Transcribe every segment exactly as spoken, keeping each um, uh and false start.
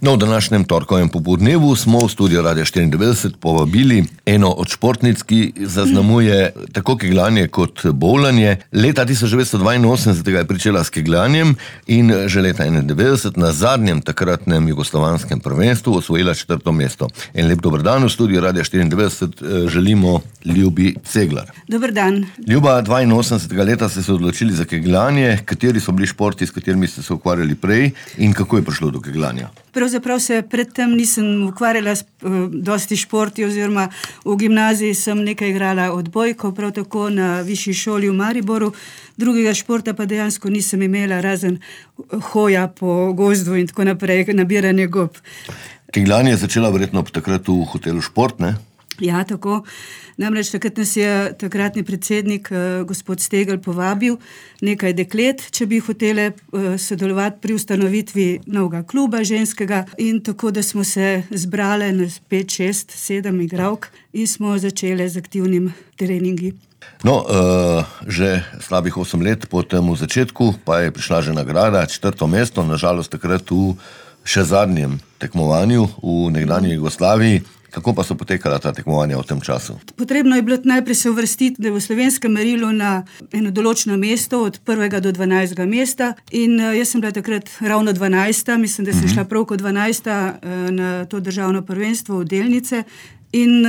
No, v današnjem torkovem popoldnevu smo v studio Radia štiriindevetdeset povabili eno od športnic, ki zaznamuje tako kegljanje kot bowlanje. Leta tisoč devetsto dvainosemdeset je pričela s kegljanjem in že leta enaindevetdeset na zadnjem takratnem jugoslovanskem prvenstvu osvojila četrto mesto. En lep dober dan v studio Radia štiriindevetdeset želimo Ljubi Ceglar. Dober dan. Ljuba, dvainosemdesetega leta ste se odločili za kegljanje. Kateri so bili športi, s katerimi ste se ukvarjali prej in kako je prišlo do kegljanja? Pravzaprav se predtem nisem ukvarjala s uh, dosti športi, oziroma v gimnaziji sem nekaj igrala odbojko, prav tako na višji šoli v Mariboru. Drugega športa pa dejansko nisem imela, razen hoja po gozdu in tako naprej, nabiranje gob. Kegljanje je začela verjetno takrat v hotelu Šport, ne? Ja, tako. Namreč takrat nas je takratni predsednik, eh, gospod Stegl, povabil nekaj deklet, če bi hotele eh, sodelovati pri ustanovitvi novega kluba ženskega, in tako, da smo se zbrale na pet, šest, sedem igralk in smo začele z aktivnim treningi. No, uh, že slabih osem let po temu začetku pa je prišla že nagrada, četrto mesto, nažalost takrat v še zadnjem tekmovanju v nekdanji Jugoslaviji. Kako pa so potekala ta tekmovanja v tem času? Potrebno je bilo najprej se uvrstiti v slovenskem merilu na eno določeno mesto, od prvega do dvanajstega mesta, in jaz sem bila takrat ravno dvanajsta, mislim, da sem šla prav kot dvanajsta na to državno prvenstvo v Delnice, in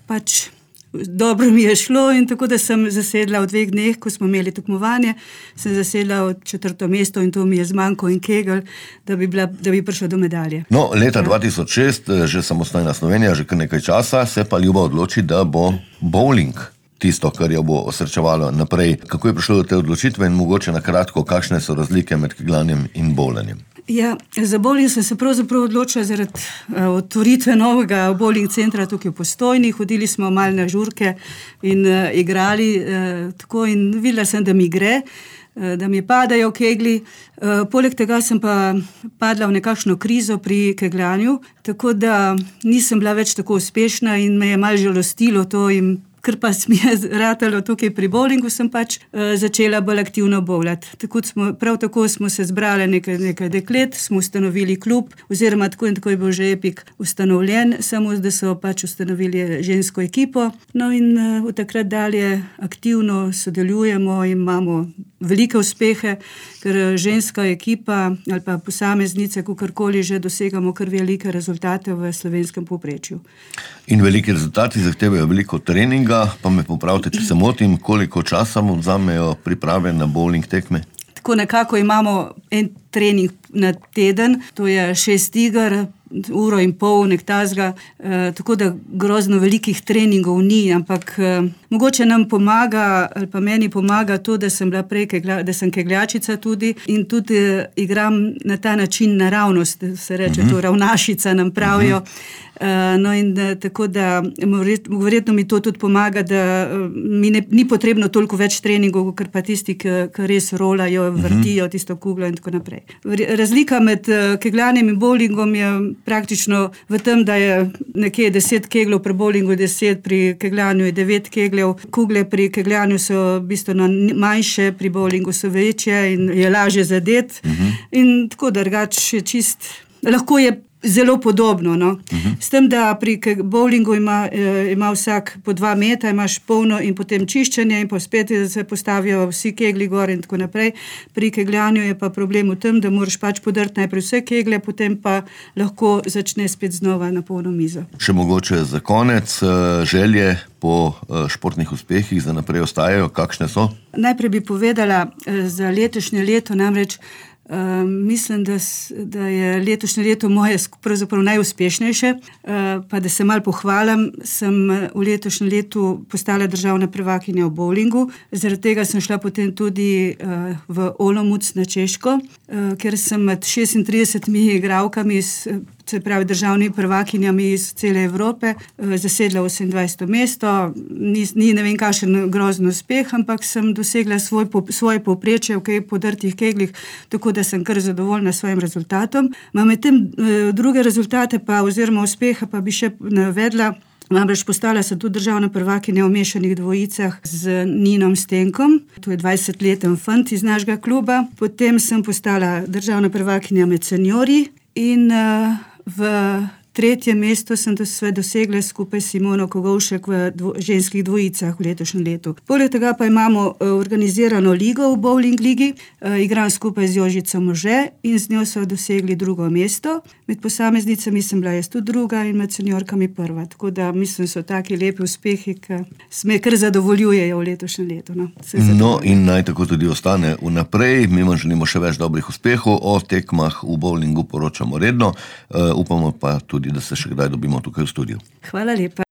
pač dobro mi je šlo, in tako da sem zasedla v dveh dneh, ko smo imeli tekmovanje, sem zasedla od četrto mesto, in to mi je zmanjko in kegel, da bi, bila, da bi prišla do medalje. No, leta dva tisoč šest, že samostojna Slovenija, že kar nekaj časa, se pa Ljuba odloči, da bo bowling tisto, kar jo bo osrečevalo naprej. Kako je prišlo do te odločitve in mogoče na kratko, kakšne so razlike med kegljanjem in bowlanjem? Ja, za bowling sem se pravzaprav odločila zaradi uh, otvoritve novega bowling centra tukaj v Postojni. Hodili smo malo na žurke in uh, igrali uh, tako, in videla sem, da mi gre, uh, da mi padajo kegli. Uh, poleg tega sem pa padla v nekakšno krizo pri kegljanju, tako da nisem bila več tako uspešna in me je malo žalostilo to, in ker pa mi je ratalo tukaj pri bowlingu, sem pač uh, začela bolj aktivno bowlati. Tako smo, prav tako smo se zbrali nekaj, nekaj deklet, smo ustanovili klub, oziroma tako in tako je bil že Epik ustanovljen, samo da so pač ustanovili žensko ekipo. No in uh, od takrat dalje aktivno sodelujemo in imamo velike uspehe, ker ženska ekipa ali pa posameznice, kakorkoli že dosegamo kar velike rezultate v slovenskem povprečju. In veliki rezultati zahtevajo veliko treninga, pa me popravite, če se motim, koliko časa mu vzamejo priprave na bowling tekme? Tako nekako imamo en trening na teden, to je šest iger, uro in pol, nek tazga, e, tako da grozno velikih treningov ni, ampak e, mogoče nam pomaga, ali pa meni pomaga to, da sem bila prej, kegla, da sem kegljačica tudi, in tudi e, igram na ta način naravnost, da se reče, uh-huh. to ravnašica nam pravijo. Uh-huh. Uh, no in da, tako da verjetno mi to tudi pomaga, da uh, mi ne, ni potrebno toliko več treningov, ker pa tisti, ki res rolajo, vrtijo tisto kuglo in tako naprej. Razlika med uh, kegljanjem in bowlingom je praktično v tem, da je nekje deset keglov pri bowlingu, deset pri kegljanju je devet kegljev. Kugle pri kegljanju so bistveno manjše, pri bowlingu so večje in je lažje zadet. Uh-huh. In tako drugače je čist, lahko je zelo podobno, no. Uh-huh. S tem, da pri bowlingu ima, eh, ima vsak po dva meta, imaš polno in potem čiščenje in pa spet se postavijo vsi kegli gor in tako naprej. Pri kegljanju je pa problem v tem, da moraš pač podrti najprej vse kegle, potem pa lahko začne spet znova na polno mizo. Še mogoče za konec, želje po športnih uspehih za naprej ostajajo, kakšne so? Najprej bi povedala za letošnje leto, namreč Uh, mislim, da, da je letošnje leto moje pravzaprav najuspešnejše, uh, pa da se malo pohvalim, sem v letošnjem letu postala državna prvakinja v bowlingu, zaradi tega sem šla potem tudi uh, v Olomouc na Češko, uh, ker sem med šestintridesetimi igralkami, se pravi državnimi prvakinjami iz cele Evrope, zasedla osemindvajseto mesto. Ni, ni ne vem kakšen grozen uspeh, ampak sem dosegla svoj, svoje povprečje v kaj podrtih keglih, tako da sem kar zadovoljna s svojim rezultatom. Med tem druge rezultate pa oziroma uspeha pa bi še navedla. Namreč postala sem tudi državna prvakinja v mešanih dvojicah z Ninom Stenkom, to je dvajsetleten fant iz našega kluba. Potem sem postala državna prvakinja med seniorji in uh, v tretje mesto sem dosegla skupaj s Simono Kogovšek v dvo, ženskih dvojicah v letošnjem letu. Poleg tega pa imamo organizirano ligo v bowling ligi, igram skupaj z Jožico Može in z njo so dosegli drugo mesto. Med posameznicami sem bila jaz tudi druga in med seniorkami prva. Tako da mislim, so taki lepi uspehi, ki me kar zadovoljujejo v letošnjem letu. No, no in naj tako tudi ostane vnaprej. Mi vam želimo še več dobrih uspehov. O tekmah v bowlingu poročamo redno. Uh, upamo pa tudi, da se še kdaj dobimo tukaj v studiu. Hvala lepa.